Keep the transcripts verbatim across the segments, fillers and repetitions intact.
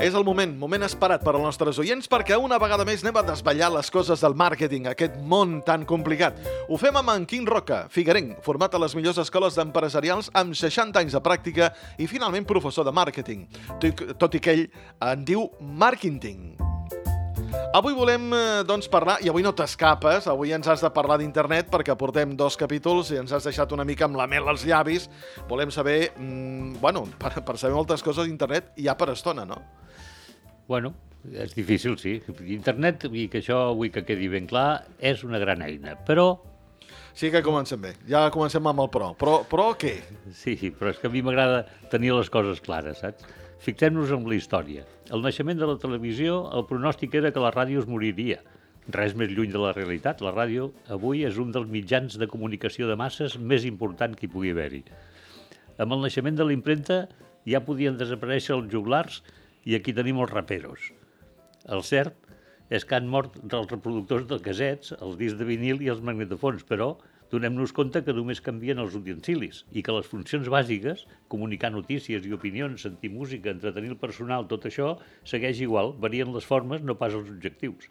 És el moment, moment esperat per als nostres oients, perquè una vegada més anem a desvetllar les coses del màrqueting, aquest món tan complicat. Ho fem amb en Quim Roca, figuerenc, format a les millors escoles d'empresarials amb seixanta anys de pràctica i finalment professor de màrqueting, tot i que ell en diu màrqueting. Avui volem doncs, parlar, i avui no t'escapes, avui ens has de parlar d'internet perquè portem dos capítols i ens has deixat una mica amb la mel als llavis. Volem saber, mmm, bueno, per, per saber moltes coses d'internet hi ha per estona, no? Bueno, és difícil, sí. Internet, i que això vull que quedi ben clar, és una gran eina, però... Sí que comencem bé, ja comencem amb el però. Però, però què? Sí, però és que a mi m'agrada tenir les coses clares, saps? Fixem-nos en la història. Al naixement de la televisió, el pronòstic era que la ràdio es moriria. Res més lluny de la realitat. La ràdio avui és un dels mitjans de comunicació de masses més important que hi pugui haver-hi. Amb el naixement de la impremta ja podien desaparèixer els joglars i aquí tenim els raperos. El cert és que han mort els reproductors de casets, els discs de vinil i els magnetofons, però donem-nos compte que només canvien els utensilis i que les funcions bàsiques, comunicar notícies i opinions, sentir música, entretenir el personal, tot això segueix igual, varien les formes, no pas els objectius.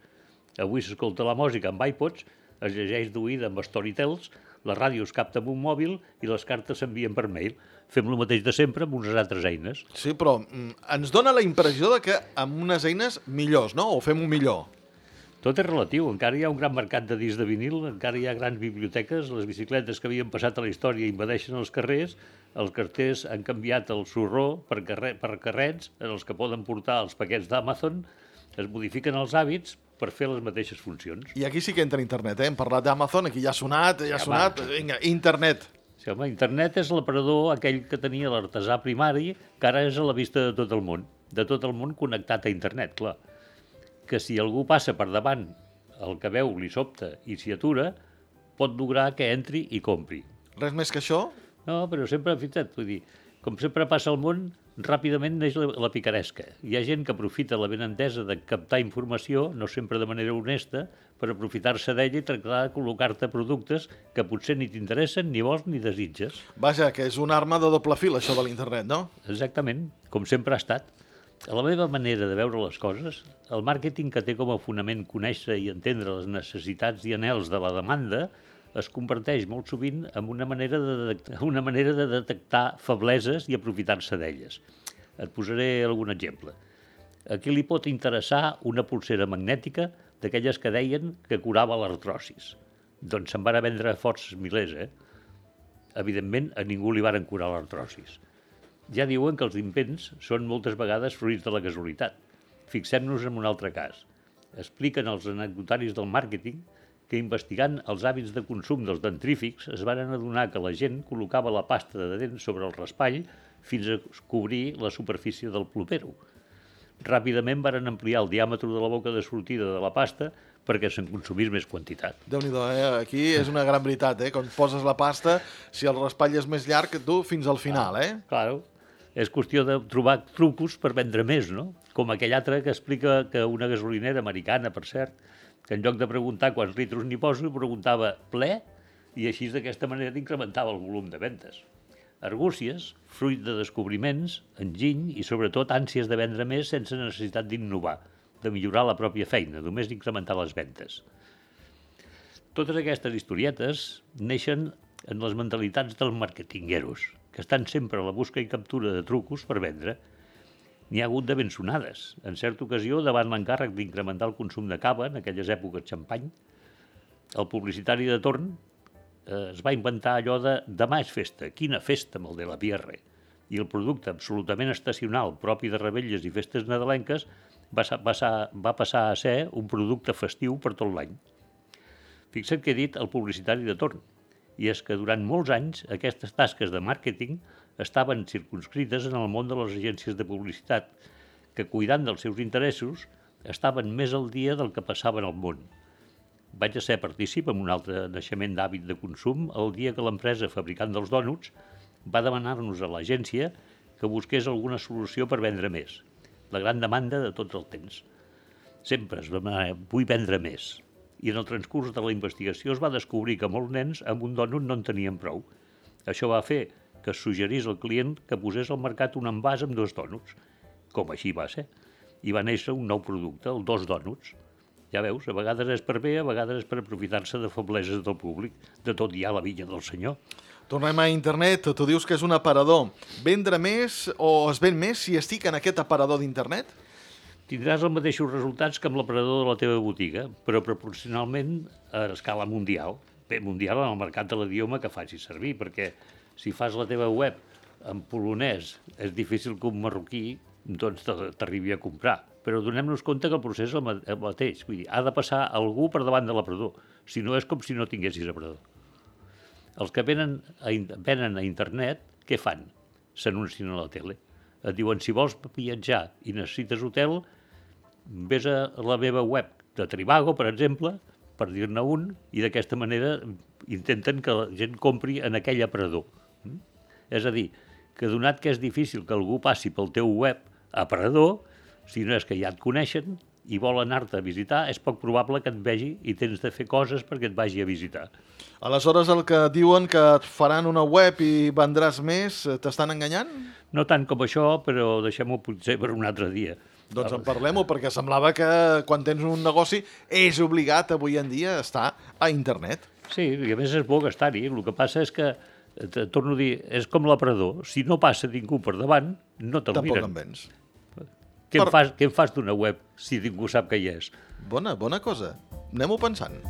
Avui s'escolta la música amb iPods, es llegeix d'oïda amb Storytels, la ràdio es capta amb un mòbil i les cartes s'envien per mail. Fem el mateix de sempre amb unes altres eines. Sí, però mm, ens dona la impressió de que amb unes eines millors, no? O fem-ho millor? Tot és relatiu, encara hi ha un gran mercat de discs de vinil, encara hi ha grans biblioteques, les bicicletes que havien passat a la història invadeixen els carrers, els carters han canviat el sorró per, carre, per carrets en els que poden portar els paquets d'Amazon, es modifiquen els hàbits per fer les mateixes funcions. I aquí sí que entra internet, eh? Hem parlat d'Amazon, aquí ja ha sonat, ja ha sí, sonat, home. Vinga, internet. Sí, home, internet és l'aparador aquell que tenia l'artesà primari, que ara és a la vista de tot el món, de tot el món connectat a internet, clar. Que si algú passa per davant el que veu li sobta i s'hi atura, pot lograr que entri i compri. Res més que això? No, però sempre, fixa't, vull dir, com sempre passa al món, ràpidament neix la, la picaresca. Hi ha gent que aprofita la benentesa de captar informació, no sempre de manera honesta, per aprofitar-se d'ella i tractar de col·locar-te productes que potser ni t'interessen, ni vols, ni desitges. Vaja, que és una arma de doble fil, això de l'internet, no? Exactament, com sempre ha estat. A la meva manera de veure les coses, el màrqueting, que té com a fonament conèixer i entendre les necessitats i anhels de la demanda, es converteix molt sovint en una manera de, detectar, una manera de detectar febleses i aprofitar-se d'elles. Et posaré algun exemple. A qui li pot interessar una pulsera magnètica d'aquelles que deien que curava l'artrosis? Doncs se'n van a vendre forces milers, eh? Evidentment, a ningú li varen curar l'artrosis. Ja diuen que els invents són moltes vegades fruits de la casualitat. Fixem-nos en un altre cas. Expliquen els anecdotaris del màrqueting que investigant els hàbits de consum dels dentrífics es van adonar que la gent col·locava la pasta de dents sobre el raspall fins a cobrir la superfície del plopero. Ràpidament varen ampliar el diàmetre de la boca de sortida de la pasta perquè se'n consumís més quantitat. Déu-n'hi-do, eh? Aquí és una gran veritat, eh? Quan poses la pasta, si el raspall és més llarg, tu fins al final, eh? Ah, claro. És qüestió de trobar trucos per vendre més, no? Com aquell altre que explica que una gasolinera americana, per cert, que en lloc de preguntar quants litros n'hi poso, preguntava ple, i així d'aquesta manera incrementava el volum de ventes. Argúcies, fruit de descobriments, enginy i sobretot ànsies de vendre més sense necessitat d'innovar, de millorar la pròpia feina, només d'incrementar les ventes. Totes aquestes historietes neixen en les mentalitats dels marketingueros, que estan sempre a la busca i captura de trucos per vendre. N'hi ha hagut de ben sonades. En certa ocasió, davant l'encàrrec d'incrementar el consum de cava, en aquelles èpoques xampany, el publicitari de torn eh, es va inventar allò de «demà és festa, quina festa amb el de la Pierre». I el producte absolutament estacional, propi de revetlles i festes nadalenques, va, va, va passar a ser un producte festiu per tot l'any. Fixa't que he dit el publicitari de torn. I és que durant molts anys aquestes tasques de màrqueting estaven circunscrites en el món de les agències de publicitat, que cuidant dels seus interessos estaven més al dia del que passava en el món. Vaig a ser partícip en un altre naixement d'hàbit de consum el dia que l'empresa fabricant dels dònuts va demanar-nos a l'agència que busqués alguna solució per vendre més. La gran demanda de tots els temps. Sempre es va demanar, vull vendre més. I en el transcurs de la investigació es va descobrir que molts nens amb un dònut no en tenien prou. Això va fer que es suggerís al client que posés al mercat un envàs amb dos dònuts, com així va ser. i va néixer un nou producte, el Dos Dònuts. Ja veus, a vegades és per bé, a vegades és per aprofitar-se de febleses del públic. De tot hi ha la vinya del senyor. Tornem a internet, tu dius que és un aparador. Vendre més o es ven més si estic en aquest aparador d'internet? Tindràs els mateixos resultats que amb l'aparador de la teva botiga, però proporcionalment a escala mundial. Bé, mundial en el mercat de l'idioma que facis servir, perquè si fas la teva web en polonès és difícil que un marroquí doncs t'arribi a comprar. Però donem-nos compte que el procés és el mateix. Vull dir, ha de passar algú per davant de l'aparador. Si no, és com si no tinguessis aparador. Els que venen a, venen a internet, què fan? S'anuncien a la tele. Et diuen, si vols viatjar i necessites hotel, vés a la meva web de Trivago, per exemple, per dir-ne un, i d'aquesta manera intenten que la gent compri en aquell aparador. Mm? És a dir, que donat que és difícil que algú passi pel teu web aparador, si no és que ja et coneixen i vol anar-te a visitar, és poc probable que et vegi i tens de fer coses perquè et vagi a visitar. Aleshores, el que diuen que et faran una web i vendràs més, t'estan enganyant? No tant com això, però deixem-ho potser per un altre dia. Doncs en parlem-ho, perquè semblava que quan tens un negoci és obligat avui en dia estar a internet. Sí, i a més és bo gastar-hi. El que passa és que, te torno a dir, és com l'aparador. Si no passa ningú per davant, no te'l miren. Tampoc en vens. Què, per... en fas, què en fas d'una web si ningú sap que hi és? Bona, bona cosa. Anem-ho pensant.